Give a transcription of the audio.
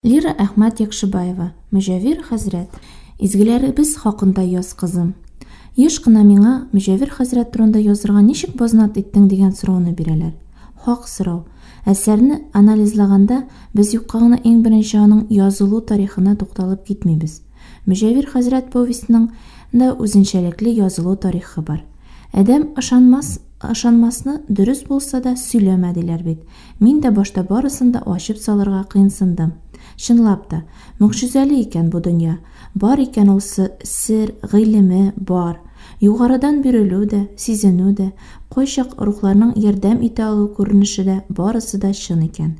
Лира Әхмәт Якшыбаева, Мөҗәвир хәзрәт. Изгеләребез хакында яз, кызым. Еш кына миңа Мөҗәвир хәзрәт турында язырга ничек базнат иттең дигән сорауны бирәләр. Хак сорау. Әсәрне анализлаганда, без юкка гына иң беренче аның язылу тарихына тукталып китмибез. Мөҗәвир хәзрәт повестеның да үзенчәлекле язылу тарихы бар. Адәм ышанмас, ышанмасны дөрес булса да сөйләмә диләр бит. Мин дә башта барысын да ачып салырга кыенсындым. Чынлап та, могҗизәле икән бу дөнья. Бар икән ул сер, гыйлеме, бар. Югарыдан бирелү дә, сизенү дә, кайчак рухларның ярдәм итә алу күренеше дә барысы да чын икән.